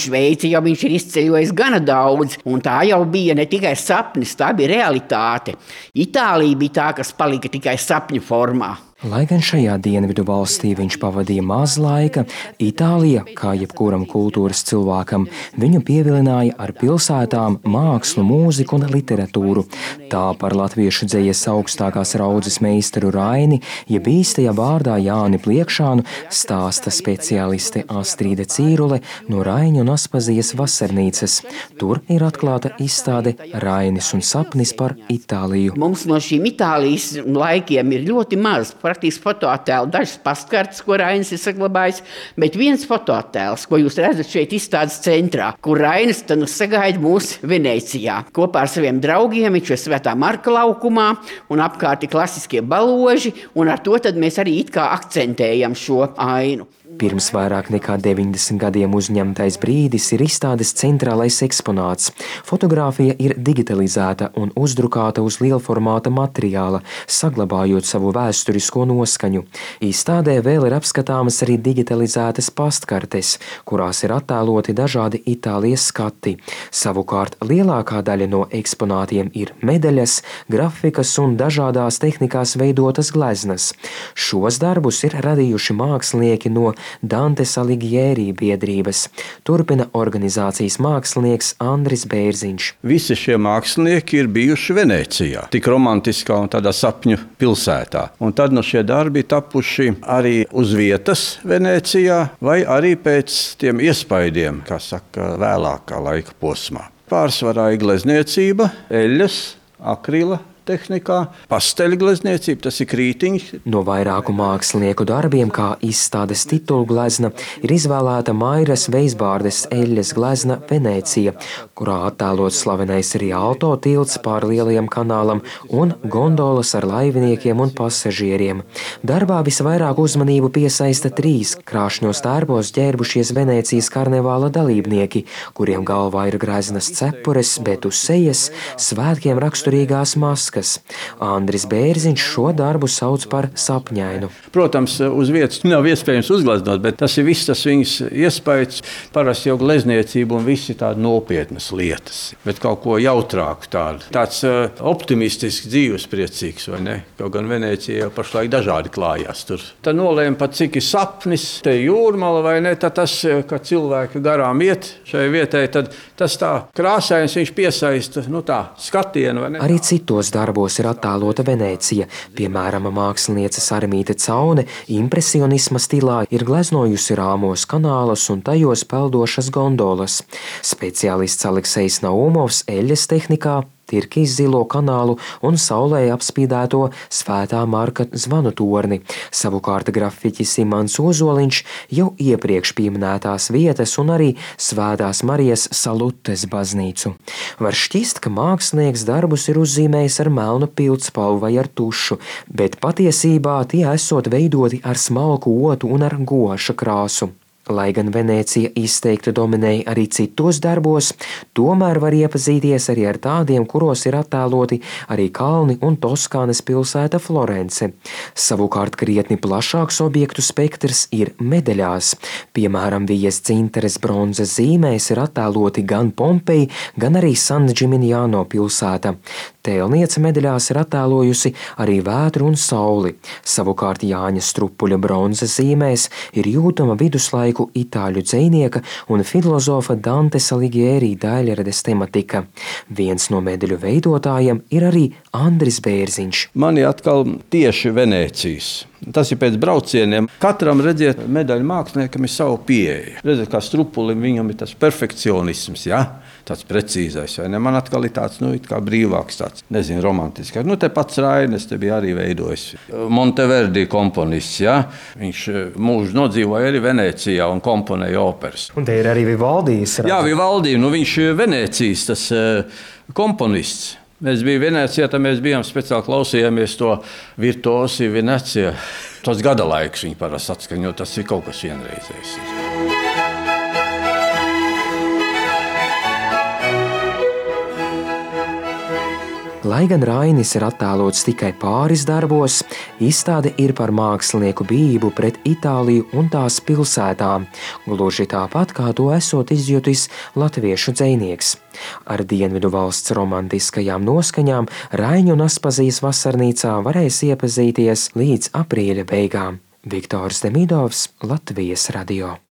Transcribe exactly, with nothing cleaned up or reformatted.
Šveici jau viņš ir izceļojis gana daudz, un tā jau bija ne tikai sapnis, tā bija realitāte. Itālija bija tā, kas palika tikai sapņu formā. Lai gan šajā dienvidu valstī viņš pavadīja maz laika, Itālija, kā jebkuram kultūras cilvēkam, viņu pievilināja ar pilsētām, mākslu, mūziku un literatūru. Tā par latviešu dzejas augstākās raudzes meistaru Raini, jeb īstajā vārdā Jāni Pliekšānu, stāsta speciāliste Astrīde Cīrule no Raiņu un Aspazijas vasarnīcas. Tur ir atklāta izstāde Rainis un sapnis par Itāliju. Mums no šīm Itālijas laikiem ir ļoti maz, praktiski fotoattēlu, dažas paskartes, ko Rainis ir saglabājis, bet viens fotoattēls, ko jūs redzat šeit izstādes centrā, kur Rainis tad nu sagaida mūs Venecijā. Kopā ar saviem draugiem viņš ir Svētā Marka laukumā un apkārt ir klasiskie baloži, un ar to tad mēs arī it kā akcentējam šo ainu. Pirms vairāk nekā deviņdesmit gadiem uzņemtais brīdis ir izstādes centrālais eksponāts. Fotogrāfija ir digitalizēta un uzdrukāta uz lielformāta materiāla, saglabājot savu vēsturisko noskaņu. Izstādē vēl ir apskatāmas arī digitalizētas pastkartes, kurās ir attēloti dažādi Itālijas skati. Savukārt lielākā daļa no eksponātiem ir medaļas, grafikas un dažādās tehnikās veidotas gleznas. Šos darbus ir radījuši mākslinieki no Dantes Alighieri biedrības. Turpina organizācijas mākslinieks Andris Bērziņš. Visi šie mākslinieki ir bijuši Venecijā, tik romantiskā un tādā sapņu pilsētā. Un tad no šie darbi tapuši arī uz vietas Venecijā vai arī pēc tiem iespaidiem, kā saka, vēlākā laika posmā. Pārsvarā ir glezniecība, eļļas, akrila tehnikā, pasteļglezniecība, tas ir krītiņš. No vairāku mākslinieku darbiem, kā izstādes titulu glezna, ir izvēlēta Mairas Veisbārdes eļļas glezna Venecija, kurā attēlots slavenais Rialto tilts pār Lielajam kanālam un gondolas ar laiviniekiem un pasažieriem. Darbā visvairāk uzmanību piesaista trīs krāšņos tērpos ģērbušies Venecijas karnevāla dalībnieki, kuriem galvā ir greznas cepures, bet uz sejas svētkiem raksturīgās maskas. Andris Bērziņš šo darbu sauc par sapņainu. Protams, uz vietas nav iespējams uzgleznot, bet tas ir viss tas viņas iespējas. Parasti jau glezniecība un visi tādi nopietnas lietas, bet kaut ko jautrāku tādu. Tāds uh, optimistisks, dzīvespriecīgs, vai ne? Kaut gan Venecija jau pašlaik dažādi klājās tur. Tad nolēma pat, cik ir sapnis, te jūrmala vai ne, tad tas, ka cilvēki garām iet šai vietai, tad tas tā krāsains viņš piesaista, nu tā, skatienu, vai ne? Arī citos darbos ir attēlota Venecija. Piemēram, māksliniece Sarmīte Caune impresionisma stilā ir gleznojusi rāmos kanālus un tajos peldošas gondolas. Speciālists Aleksejs Naumovs eļļas tehnikā Tirkijas zilo kanālu un saulē apspīdēto Svētā Marka zvanu torni. Savukārt grafiķis Imants Ozoliņš jau iepriekš pieminētās vietas un arī Svētās Marijas Salutes baznīcu. Var šķist, ka mākslinieks darbus ir uzzīmējis ar melnu pildspalvu vai ar tušu, bet patiesībā tie esot veidoti ar smalku otu un ar goša krāsu. Lai gan Venecija izteikti dominēja arī citos darbos, tomēr var iepazīties arī ar tādiem, kuros ir attēloti arī kalni un Toskānas pilsēta Florence. Savukārt krietni plašāks objektu spektrs ir medaļās. Piemēram, Vijas Dzinteres bronzas zīmēs ir attēloti gan Pompeji, gan arī San Gimignano pilsēta. Tēlniece medaļās ir attēlojusi arī vētru un sauli. Savukārt Jāņa Strupuļa bronzas zīmēs ir jūtama viduslaiku itāļu dzejnieka un filozofa Dantes Alighieri daļrades tematika. Viens no medaļu veidotājiem ir arī Andris Bērziņš. Man ir atkal tieši Venecijas. Tas ir pēc braucieniem. Katram, redziet, medaļu māksliniekam ir savu pieeja. Redziet, kā Strupulim viņam ir tas perfekcionisms, ja? Tāds precīzais, vai ne? Man atkal ir tāds, nu, it kā brīvāks tāds, nezinu, romantiskāks. Nu, te pats Rainis te bija arī veidojis. Monteverdi komponists, ja? Viņš mūžu nodzīvoja arī Venecijā un komponēja operas. Un te ir arī Vivaldijs. Jā, Vivaldi, nu viņš Venecijas tas komponists. Mēs bijām Venecijā, tad mēs bijām speciāli klausījāmies to virtuosi Venecija. Tos gada laiks viņi parasti atskaņo, tas ir kaut kas vienreizējs. Lai gan Rainis ir attēlots tikai pāris darbos, izstāde ir par mākslinieku bijību pret Itāliju un tās pilsētām, gluži tāpat kā to esot izjutis latviešu dzejnieks. Ar dienvidu valsts romantiskajām noskaņām Raiņu un Aspazijas vasarnīcā varēs iepazīties līdz aprīļa beigām. Viktors Demidovs, Latvijas radio.